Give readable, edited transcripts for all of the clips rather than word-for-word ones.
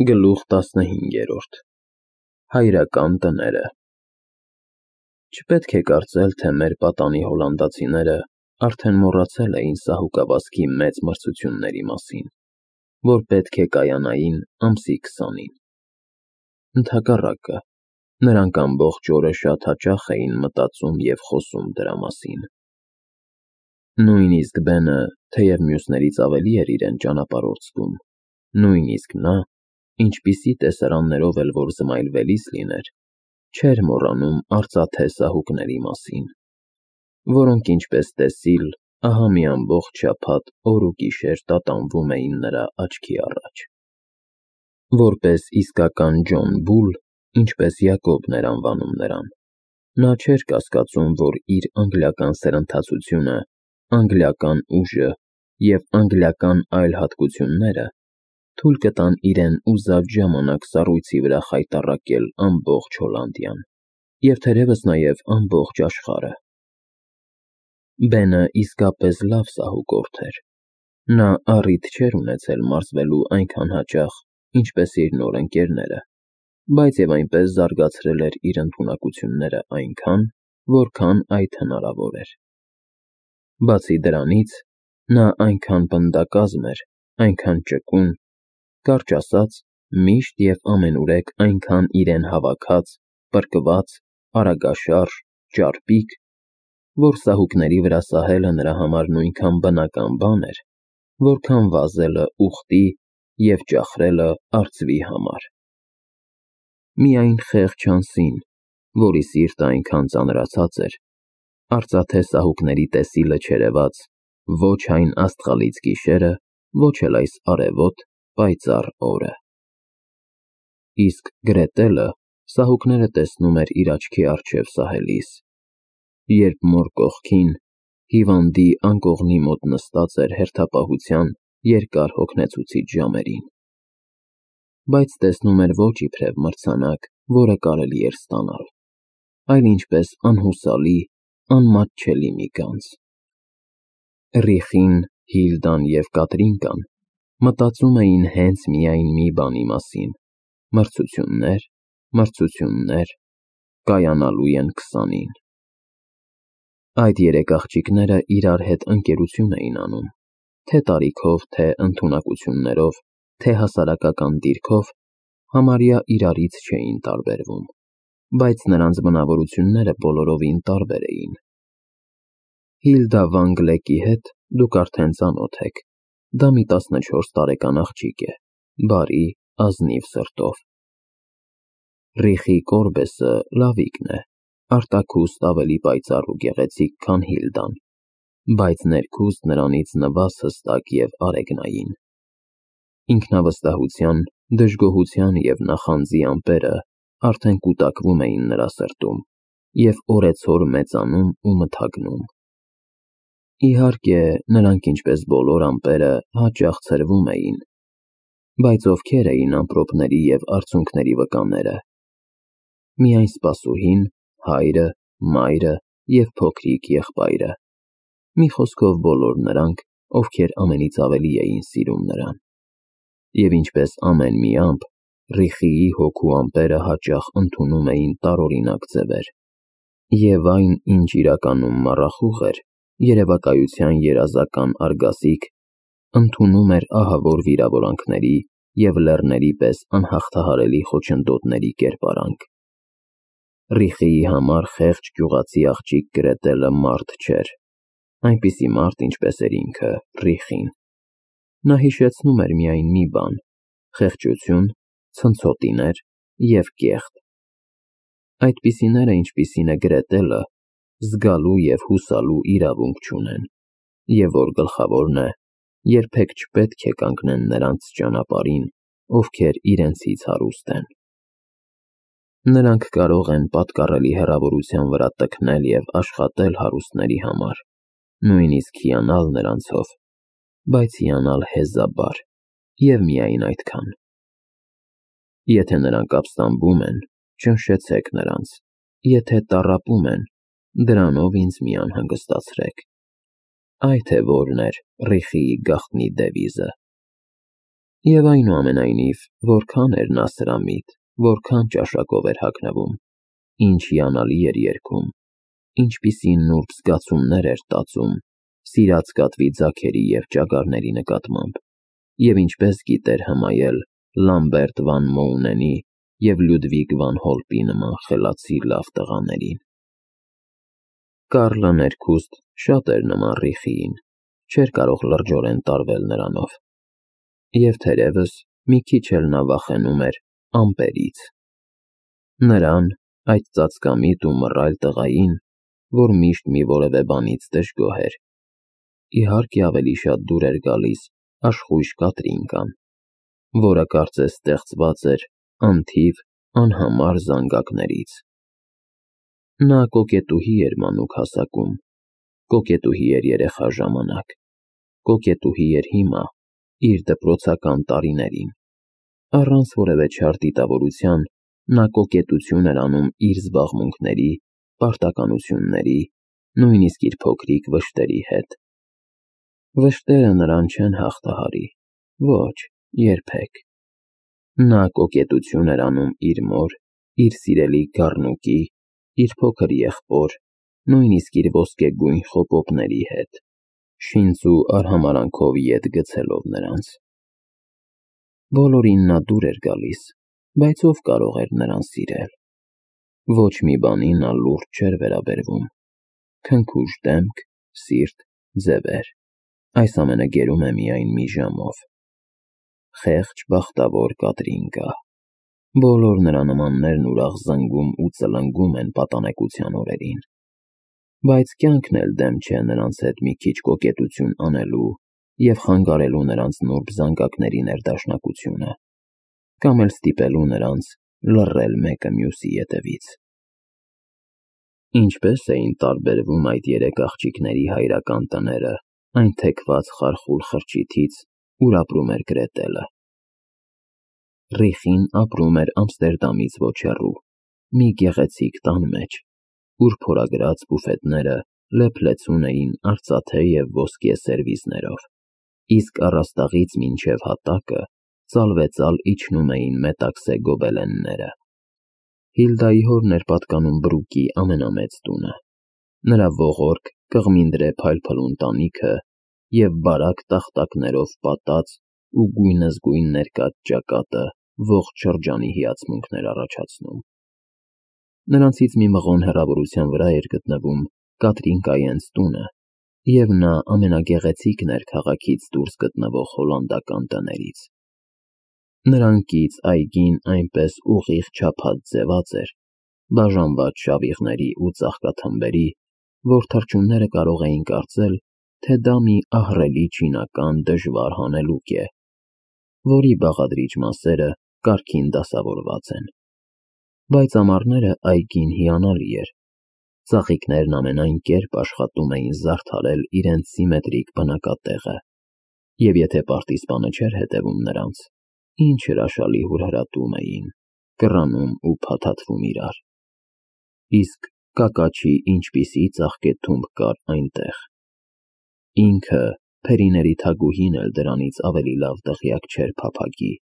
Գլուխ 15 Հայրական տները Չպետք է կարծել, թե մեր պատանի հոլանդացիները արդեն մոռացել էին սահուկավազքի մեծ մրցությունների մասին, որ պետք է կայանային ամսի 20-ին։ Ընդհակառակը, նրանք ամբողջ օրը շատ հաճախ էին մտածում և խոսում դրա մասին։ Նույնիսկ Բենը, թեև մյուսներից ավելի էր իրեն ճանապարհորդ զգում, նույնիսկ նա, ինչպիսի տեսարաններով էլ որ զմայլվելիս լիներ, չէր մոռանում արծաթե սահուկների մասին, որոնք ինչպես տեսիլ, ահա մի ամբողջ շաբաթ օր ու գիշեր տատանվում էին նրա աչքի առաջ։ Որպես իսկական Ջոն Բուլ, ինչպես Յակոբն էր անվանում նրան, նա չէր կասկածում, որ իր անգլիական սրընթացությունը, անգլիական ուժը և անգլիական այլ հատկությունները թույլ կտան իրեն ուզած ժամանակ սառույցի վրա խայտառակել ամբողջ Հոլանդիան և թերևս նաև ամբողջ աշխարհը։ Բենը իսկապես լավ սահուկորդ էր։ Նա առիթ չէր ունեցել մարզվելու այնքան հաճախ, ինչպես իր նոր ընկերները, բայց և այնպես զարգացրել էր իր ընդունակությունները այնքան, որքան այդ հնարավոր էր։ Բացի դրանից, նա այնքան պնդակազմ էր, այնքան ճկուն, կարճ ասած, միշտ և ամենուրեք այնքան իրեն հավաքած, պրկված, արագաշարժ, ճարպիկ, որ սահուկների վրա սահելը նրա համար նույնքան բնական բան էր, որքան վազելը ուղտի և ճախրելը արծվի համար։ Միայն խեղճ Հանսին, որի սիրտը այնքան ծանրացած էր, արծաթե սահուկների տեսիլը չերևաց ոչ այն աստղալից գիշերը, ոչ էլ այս արևոտ, պայծառ օրը։ Իսկ Գրետելը սահուկները տեսնում էր իր աչքի առջև սահելիս, երբ մոր կողքին, հիվանդի անկողնի մոտ նստած էր հերթապահության երկար հոգնեցուցիչ ժամերին, բայց տեսնում էր ոչ իբրև մրցանակ, որը կարելի էր ստանալ, այլ ինչպես անհուսալի, անմատչելի մի գանձ։ Ռիխին, Հիլդան և Կատրինկան մտածում էին հենց միայն մի բանի մասին. մրցություններ, մրցություններ, կայանալու են 20-ին։ Այդ երեք աղջիկները իրար հետ ընկերություն էին անում, թե տարիքով, թե ընդունակություններով, թե հասարակական դիրքով, համարյա իրարից չէին տարբերվում, բայց նրանց բնավորությունները բոլորովին տարբեր էին։ Հիլդա Վան Գլեկի հետ դուք արդեն ծանոթ եք, դա մի 14 տարեկան աղջիկ է, բարի, ազնիվ սրտով։ Ռիխի Կորբեսը Լավիկն է, արտաքուստ ավելի պայծառ ու գեղեցիկ, քան Հիլդան, բայց ներքուստ նրանից նվազ հստակ և արեգնային։ Ինքնավստահության, դժգոհության և նախանձի ամպերը արդեն կուտակվում էին նրա սրտում և օրեցօր մեծանում ու մթագնում։ Իհարկե, նրանք, ինչպես բոլոր ամպերը, հաճախ ցրվում էին, բայց ովքեր էին ամպրոպների և արցունքների վկաները։ Միայն սպասուհին, հայրը, մայրը և փոքրիկ եղբայրը, մի խոսքով բոլոր նրանք, ովքեր ամենից ավելի էին սիրում նրան։ Եվ ինչպես ամեն մի ամպ, Ռիխիի հոգու ամպերը հաճախ ընդունում էին տարօրինակ ձևեր, և այն, ինչ իրականում մառախուղ էր, երևակայության երազական արգասիկ, ընդունում էր ահավոր վիրավորանքների և լեռների պես անհաղթահարելի խոչընդոտների կերպարանք։ Ռիխիի համար խեղճ գյուղացի աղջիկ Գրետելը մարդ չէր, այնպիսի մարդ, ինչպես էր ինքը՝ Ռիխին։ Նա հիշեցնում էր միայն մի բան՝ խեղճություն, ցնցոտիներ և կեղտ։ Այդպիսիները, ինչպիսին է Գրետելը, զգալու և հուսալու իրավունք չունեն, և որ գլխավորն է, երբեք չպետք է կանգնեն նրանց ճանապարհին, ովքեր իրենցից հարուստ են։ Նրանք կարող են պատկառելի հեռավորության վրա տքնել և աշխատել հարուստների համար, նույնիսկ հիանալ նրանցով, բայց հիանալ հեզաբար և միայն այդքան։ Եթե նրանք ապստամբում են, ճնշեցեք նրանց, եթե տառապում են, դրանով ինձ մի անհանգստացրեք։ Այդ է որն էր Ռիխիի գաղտնի դևիզը։ Եվ այնուամենայնիվ, որքան էր նա սրամիտ, որքան ճաշակով էր հագնվում, ինչ հիանալի էր երգում, ինչպիսի նուրբ զգացումներ էր տածում սիրած կատվի ձագերի և ճագարների նկատմամբ, և ինչպես գիտեր հմայել Լամբերտ վան Մոունենի և Լյուդվիգ վան Հոլպի նման խելացի լավ տղաներին։ Կարլը ներքուստ շատ էր նման Ռիխիին, չէր կարող լրջորեն տարվել նրանով, և թերևս մի քիչ էլ նա վախենում էր ամպերից։ Նրան, այդ ծածկամիտ ու մռայլ տղային, որ միշտ մի որևէ բանից դժգոհ էր, իհարկե ավելի շատ դուր էր գալիս աշխույժ Կատրինկան, որը կարծես ստեղծված էր անթիվ, անհամար զանգակներից։ Նա կոկետուհի էր մանուկ հասակում, կոկետուհի էր երեխա ժամանակ, կոկետուհի էր հիմա, իր դպրոցական տարիներին։ Առանց որևէ չար դիտավորության նա կոկետություն էր անում իր զբաղմունքների, պարտականությունների, նույնիսկ իր փոքրիկ վշտերի հետ։ Վշտերը նրան չեն հաղթահարի, ոչ, երբեք։ Նա կոկետություն էր անում իր մոր, իր սիրելի գառնուկի, իր փոքր եղբոր, նույնիսկ իր ոսկեգույն խոպոպների հետ, շինծ ու արհամարանքով ետ գցելով նրանց։ Բոլորին նա դուր էր գալիս, բայց ով կարող էր նրան սիրել։ Ոչ մի բանի նա լուրջ չէր վերաբերվում։ Քնքուշ դեմք, սիրտ, ձևեր, այս ամենը գերում է միայն մի ժամով։ Խեղճ բախտավոր Կատրինկա։ Բոլոր նրա նմաններն ուրախ զնգում ու ծլնգում են պատանեկության օրերին, բայց կյանքն էլ դեմ չէ նրանց հետ մի քիչ կոկետություն անելու և խանգարելու նրանց նուրբ զանգակների ներդաշնակությունը, կամ էլ ստիպելու նրանց լռել մեկը մյուսի ետևից։ Ինչպես էին տարբերվում այդ երեք աղջիկների հայրական տները այն թեքված խարխուլ խրճիթից, ուր ապրում էր Գրետելը։ Ռիխին ապրում էր Ամստերդամից ոչ հեռու, մի գեղեցիկ տան մեջ, ուր փորագրած բուֆետները լեփլեցուն էին արծաթե և ոսկե սերվիզներով, իսկ առաստաղից մինչև հատակը ծալվեծալ իջնում էին մետաքսե գոբելենները։ Հիլդայի հորն էր պատկանում Բրուկի ամենամեծ տունը, նրա ողորկ, կղմինդրե փայլփլուն տանիքը և բարակ տախտակներով պատած ու գույնզգույն ներկած ճակատը ողջ շրջանի հիացմունքն էր առաջացնում։ Նրանցից մի մղոն հեռավորության վրա էր գտնվում Կատրինկայենց տունը, և նա ամենագեղեցիկն էր քաղաքից դուրս գտնվող հոլանդական տներից։ Նրանքից այգին այնպես ուղիղ չափած ձևած էր, բաժանված շավիղների ու ծաղկաթմբերի, որ թռչունները կարող էին կարծել, թե դա մի ահռելի չինական դժվար հանելուկ է, որի բաղադրիչ մասերը կարգին դասավորված են։ Բայց ամառները այգին հիանալի էր։ Ծաղիկներն ամենայն կերպ աշխատում էին զարդարել իրենց սիմետրիկ բնակատեղը, և եթե պարտիզպանը չէր հետևում նրանց, ինչ հրաշալի հուրհրատում էին, կռանում ու փաթաթվում իրար։ Իսկ կակաչի ինչպիսի ծաղկեթումբ կար այնտեղ։ Ինքը, Փերիների թագուհին էլ դրանից ավելի լավ տեղյակ չէր փափագի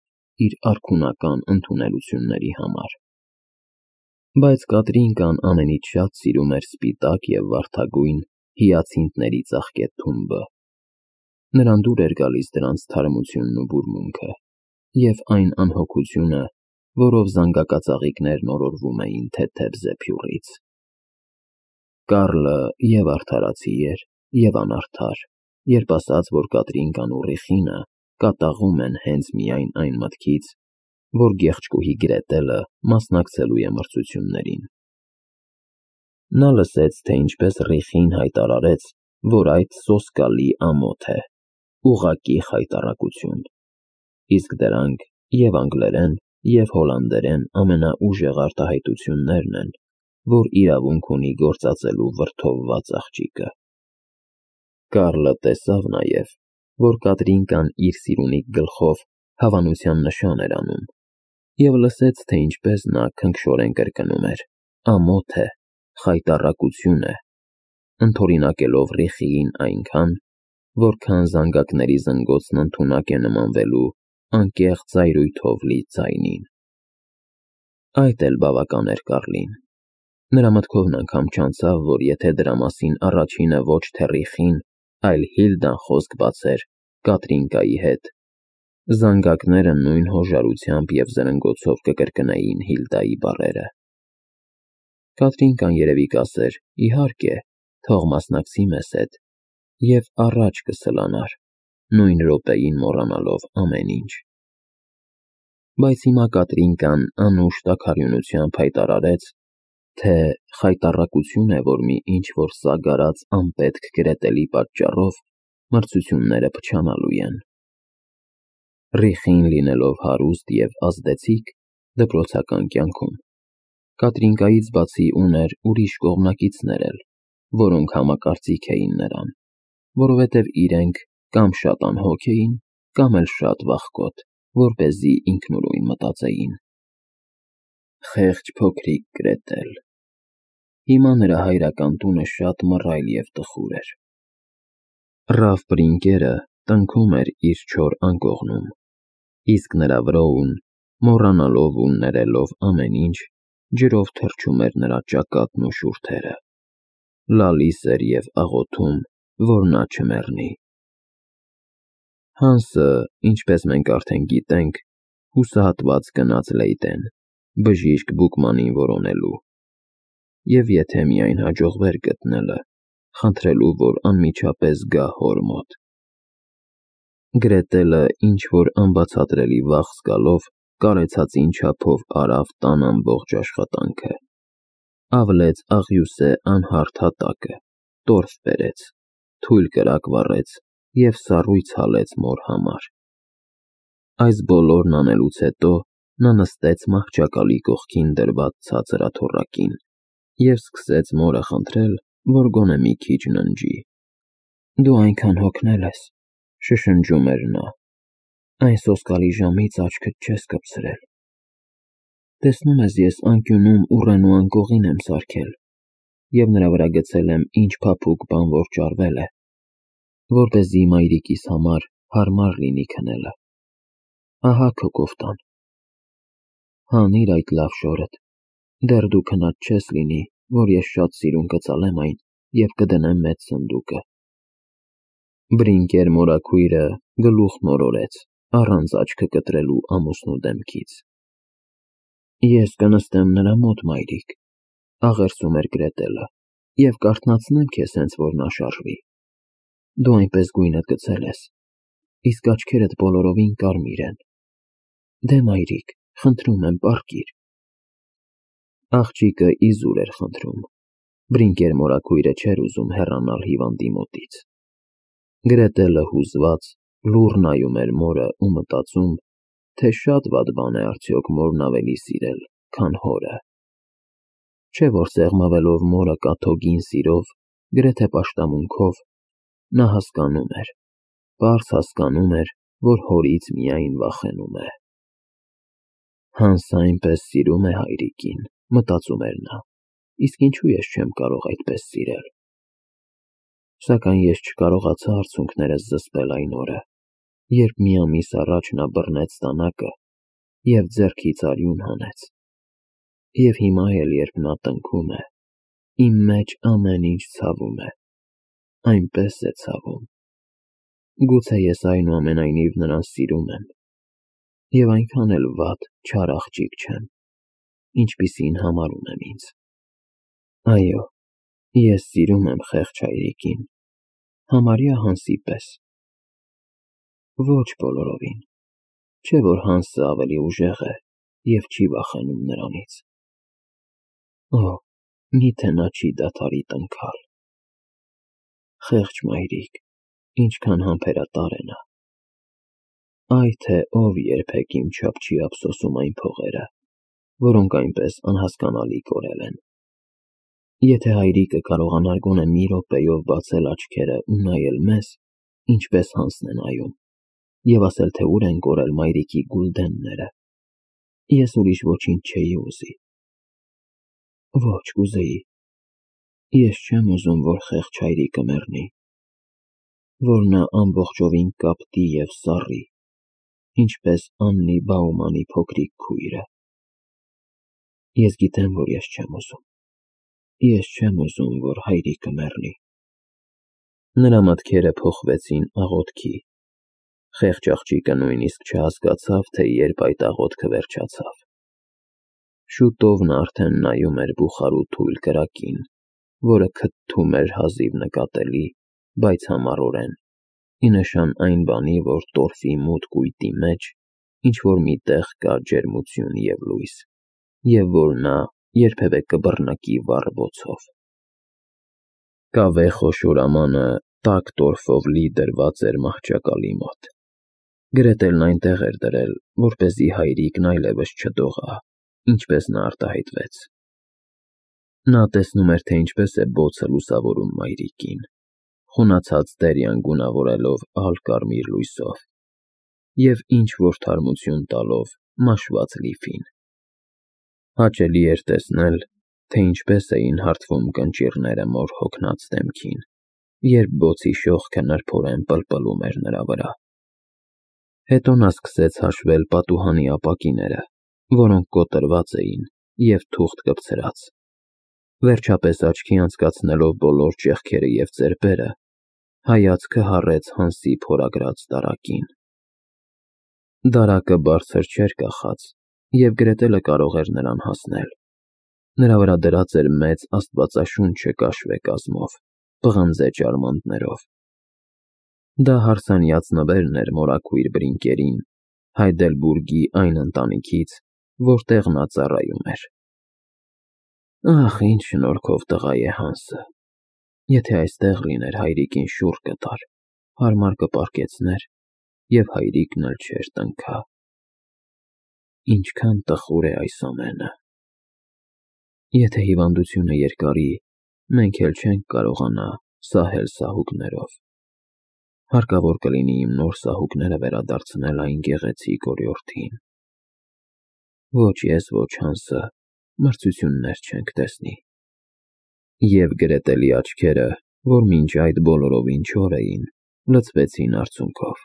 իր արքունական ընդունելությունների համար։ Բայց Կատրինկան ամենից շատ սիրում էր սպիտակ և վարդագույն հիացինթների ծաղկեթումբը։ Նրան դուր էր գալիս դրանց թարմությունն ու բուրմունքը, և այն անհոգությունը, որով զանգակածաղիկներն օրորվում էին թեթև զեփյուռից։ Կարլը և արդարացի էր, և անարդար, երբ ասաց, որ Կատրինկան ու Ռիխինը կատաղում են հենց միայն այն մտքից, որ գեղեցկուհի Գրետելը մասնակցելու է մրցություններին։ Նա լսեց, թե ինչպես Ռիխին հայտարարեց, որ այդ սոսկալի ամոթ է, ուղղակի խայտառակություն, իսկ դրանք և անգլերեն, և հոլանդերեն ամենաուժեղ արտահայտություններն են, որ իրավունք ունի գործածելու վրդովված աղջիկը։ Կարլը տեսավ նաև, որ Կատրինկան իր սիրունիկ գլխով հավանության նշան էր անում, և լսեց, թե ինչպես նա քնքշորեն կրկնում էր. ամոթ է, խայտառակություն է, ընդօրինակելով Ռիխիին այնքան, որքան զանգակների զնգոցն ընդունակ է նմանվելու անկեղծ ծայրույթով լի ձայնին։ Այդ էլ բավական էր Կարլին։ Նրա մտքովն անգամ չանցավ, որ եթե դրա մասին առաջինը ոչ թե Ռիխին, այլ Հիլդան խոսք բացեր Կատրինկայի հետ, զանգակները նույն հոժարությամբ և զրնգոցով կկրկնեին Հիլդայի բառերը։ Կատրինկան երևի կասեր. իհարկե, թող մասնակցի մեզ հետ, և առաջ կսլանար, նույն րոպեին մոռանալով ամեն ինչ։ Բայց հիմա Կատրինկան անուշ տաքարյունությամբ հայտարարեց, թե խայտառակություն է, որ մի ինչ-որ սագարած անպետք Գրետելի պատճառով մրցությունները փչանալու են։ Ռիխին լինելով հարուստ և ազդեցիկ դպրոցական կյանքում, Կատրինկայից բացի ուներ ուրիշ կողմնակիցներ էլ, որոնք համակարծիք էին նրան, որովհետև իրենք կամ շատ անհոգ էին, կամ էլ շատ վախկոտ, որպեսզի ինքնուրույն մտածեին։ Խեղճ փոքրիկ Գրետել։ Հիմա նրա հայրական տունը շատ մռայլ և տխուր էր։ Ռաֆ Բրինկերը տնքում էր իր չոր անկողնում, իսկ նրա Վրոուն, մոռանալով ու ներելով ամեն ինչ, ջրով թրջում էր նրա ճակատն ու շուրթերը, լալիս էր և աղոթում, որ նա չմեռնի։ Հանսը, ինչպես մենք արդեն գիտենք, հուսահատված գնաց Լեյդեն, բժիշկ Բուկմանին որոնելու, և եթե միայն հաջողվեր գտնելը, խնդրելու, որ անմիջապես գա հոր մոտ։ Գրետելը ինչ-որ անբացատրելի վախ զգալով, կարեցածին չափով արավ տան ամբողջ աշխատանքը, ավլեց աղյուսե անհարթ հատակը, տորֆ բերեց, թույլ կրակ վառեց և սառույց հալեց մոր համար։ Այս բոլորն անելուց հետո նա նստեց մահճակալի կողքին դրված ցածր աթոռակին և սկսեց մորը խնդրել, որ գոնե մի քիչ ննջի։ «Դու այնքան հոգնել ես», շշնջում էր նա, «այն սոսկալի ժամից աչքդ չես կպցրել։ Տեսնում ես, ես անկյունում ուռենու անկողին եմ սարքել և նրա վրա գցել եմ ինչ փափուկ բան որ ճարվել է, որպեսզի մայրիկիս համար հարմար լինի քնելը։ Ահա քո կոֆտան։ Հանիր այդ լավ շորդ, դեռ դու քնած չես լինի, որ ես շատ սիրուն կծալեմ այն և կդնեմ մեծ սնդուկը»։ Բրինկեր մորաքույրը գլուխ մորորեց, առանց աչքը կտրելու ամուսնու դեմքից։ «Ես կնստեմ նրա մոտ, մայրիկ», աղերսում էր Գրետելը, «և կարթնացնեմ քեզ, հենց որ նա շարժվի։ Դու այնպես գույնդ գցել ես, իսկ աչքերդ բոլորովին կարմիր են։ Դե, մայրիկ, խնդրում եմ, պառկիր»։ Աղջիկը իզուր էր խնդրում։ Բրինկեր մորաքույրը չէր ուզում հեռանալ հիվանդի մոտից։ Գրետելը հուզված լուռ նայում էր մորը ու մտածում, թե շատ վատ բան է արդյոք մորն ավելի սիրել, քան հորը։ Չէ՞ որ սեղմվելով մորը կաթոկին սիրով, գրեթե պաշտամունքով, նա հասկանում էր, պարզ հասկանում էր, որ հորից միայն վախենում է։ Հանսը այնպես սիրում է հայրիկին, մտածում էր նա, իսկ ինչու ես չեմ կարող այդպես սիրել։ Սակայն ես չկարողացա արցունքներս զսպել այն օրը, երբ մի ամիս առաջ նա բռնեց դանակը և ձեռքից արյուն հանեց։ Եվ հիմա էլ, երբ նա տնքում է, իմ մեջ ամեն ինչ ցավում է, այնպես է ցավում։ Գուցե ես այնուամենայնիվ նրան սիրում եմ և այնքան էլ վատ, չար աղջիկ չեմ, ինչպիսին համարում եմ ինձ։ Այո, ես սիրում եմ խեղճ հայրիկին, համարյա Հանսի պես։ Ոչ բոլորովին, չէ՞ որ Հանսը ավելի ուժեղ է և չի վախենում նրանից։ Օ, միթե նա չի դադարի տնքալ։ Խեղճ մայրիկ, ինչքան համբերատար է նա։ Այ թե ով երբեք իմ չափ չի ափսոսում այն փողերը, որոնք այնպես անհասկանալի կորել են։ Եթե հայրիկը կարողանար գոնե մի րոպեով բացել աչքերը ու նայել մեզ, ինչպես Հանսն է նայում, և ասել, թե ուր են կորել մայրիկի գուլդենները, ես ուրիշ ոչինչ չէի ուզի։ Ոչ, կուզեի։ Ես չեմ ուզում, որ խեղճ հայրիկը մեռնի, որ նա ամբողջովին կապտի և սառի, ինչպես Աննի Բաումանի փոքրիկ քույրը։ Ես գիտեմ, որ ես չեմ ուզում։ Ես չեմ ուզում, որ հայրիկը մեռնի։ Նրա մտքերը փոխվեցին աղոթքի։ Խեղճ աղջիկը նույնիսկ չհասկացավ, թե երբ այդ աղոթքը վերջացավ։ Շուտով նա արդեն նայում էր բուխարու թույլ կրակին, որը քթթում էր հազիվ նկատելի, բայց համառորեն, ի նշան այն բանի, որ տորֆի մութ կույտի մեջ ինչ-որ մի տեղ կա ջերմություն և լույս, և որ նա երբևէ կբռնակի վառ բոցով։ Կավե խոշոր ամանը տաք տորֆով լի դրված էր մահճակալի մոտ։ Գրետելն այնտեղ էր դրել, որպեսզի հայրիկն այլևս չդողա, ինչպես նա արտահայտվեց։ Նա տեսնում էր, թե ինչպես է բոցը լուսավորում մայրիկին, խունացած տերյան գունավորելով ալ-կարմիր լույսով և ինչ-որ թարմություն տալով մաշված լիֆին։ Հաճելի էր տեսնել, թե ինչպես էին հարթվում կնճիռները մոր հոգնած դեմքին, երբ բոցի շողքը նրբորեն պլպլում էր նրա վրա։ Հետո նա սկսեց հաշվել պատուհանի ապակիները, որոնք կոտրված էին և թուղթ կպցրած։ Վերջապես աչքի անցկացնելով բոլոր ճեղքերը և ծեպերը, հայացքը հառեց Հանսի փորագրած դարակին։ Դարակը բարձր չէր կախած, և Գրետելը կարող էր նրան հասնել։ Նրա վրա դրած էր մեծ աստվածաշունչը կաշվե կազմով, պղնձե ճարմաններով։ Դա հարսանյաց նվերն էր մորաքույր Բրինկերին, Հայդելբուրգի այն ընտանիքից, որտեղ նա ծառայում էր։ Ահ, ինչ շնորհքով տղա է Հանսը։ Եթե այստեղ լիներ, հայրիկին շուռ կտար, հարմար կպառկեցներ, և հայրիկն էլ չէր տնքա։ Ինչքան տխուր է այս ամենը։ Եթե հիվանդությունը երկարի, մենք էլ չենք կարողանա սահել սահուկներով։ Հարկավոր կլինի իմ նոր սահուկները վերադարձնել այն գեղեցիկ օրիորդին։ Ոչ ես, ոչ Հանսը մրցություններ չենք տեսնի։ Եվ Գրետելի աչքերը, որ մինչ այդ բոլորովին չոր էին, լցվեցին արցունքով։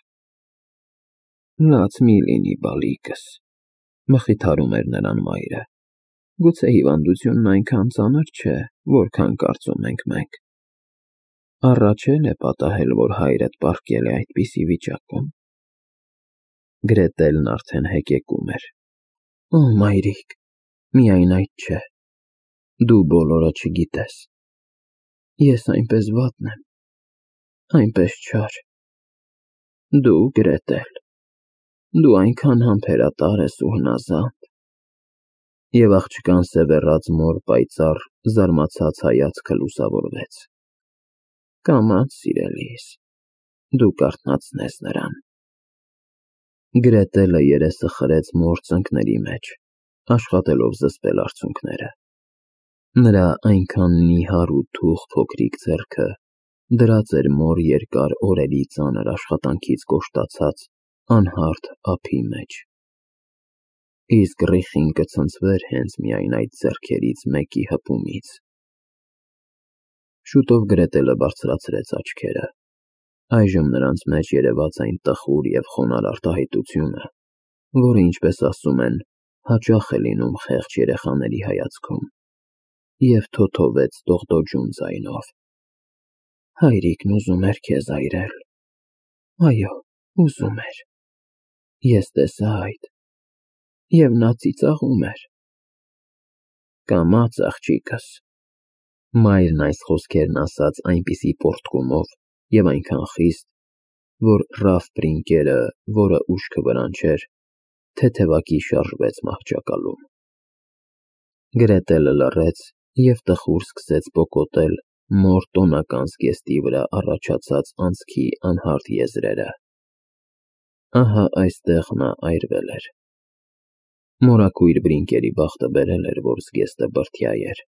Լաց մի լինի, բալիկս, մխիթարում էր նրան մայրը։ Գուցե հիվանդությունն այնքան ծանր չէ, որքան կարծում ենք մենք։ Առաջ էլ է պատահել, որ հայրդ պառկել է այդպիսի վիճակում։ Գրետելն արդեն հեկեկում էր։ Օ, մայրիկ, միայն այդ չէ։ Դու բոլորը չգիտես։ Ես այնպես վատն եմ, այնպես չար։ Դու, Գրետել, դու այնքան համբերատար ես ու հնազանդ։ Եվ աղջկան սևեռած մոր պայծառ, զարմացած հայացքը լուսավորվեց։ Կամաց, սիրելիս, դու կարթնացնես նրան։ Գրետելը երեսը խրեց մոր ծնկների մեջ, աշխատելով զսպել արցունքները։ Նրա այնքան նիհար ու թուխ փոքրիկ ձեռքը դրած էր մոր երկար օրերի ծանր աշխատանքից կոշտացած անհարթ ափի մեջ։ Իսկ ռիխին կցնցվեր հենց միայն այդ ձեռքերից մեկի հպումից։ Շուտով Գրետելը բարձրացրեց աչքերը։ Այժմ նրանց մեջ երևաց այն տխուր և խոնարհ արտահայտությունը, որը, ինչպես ասում են, հաճախ է լինում խեղճ երեխաների հայացքում, և թոթովեց դողդոջուն ձայնով. Հայրիկն ուզում էր քեզ այրել։ Այո, ուզում էր։ Ես տեսա այդ։ Եվ նա ծիծաղում էր։ Կամաց, աղջիկս։ Մայրն այս խոսքերն ասաց այնպիսի պոռթկումով և այնքան խիստ, որ Ռաֆ Բրինկերը, որը ուշքը վրան չէր, թեթևակի շարժվեց մահճակալում։ Գրետելը լռեց և տխուր սկսեց պոկոտել մոր տոնական զգեստի վրա առաջացած անցքի անհարթ եզրերը։ Ահա այստեղ նա այրվել էր։ Մորաքույր Բրինկերի բախտը բերել էր, որ զգեստը բրդյա էր։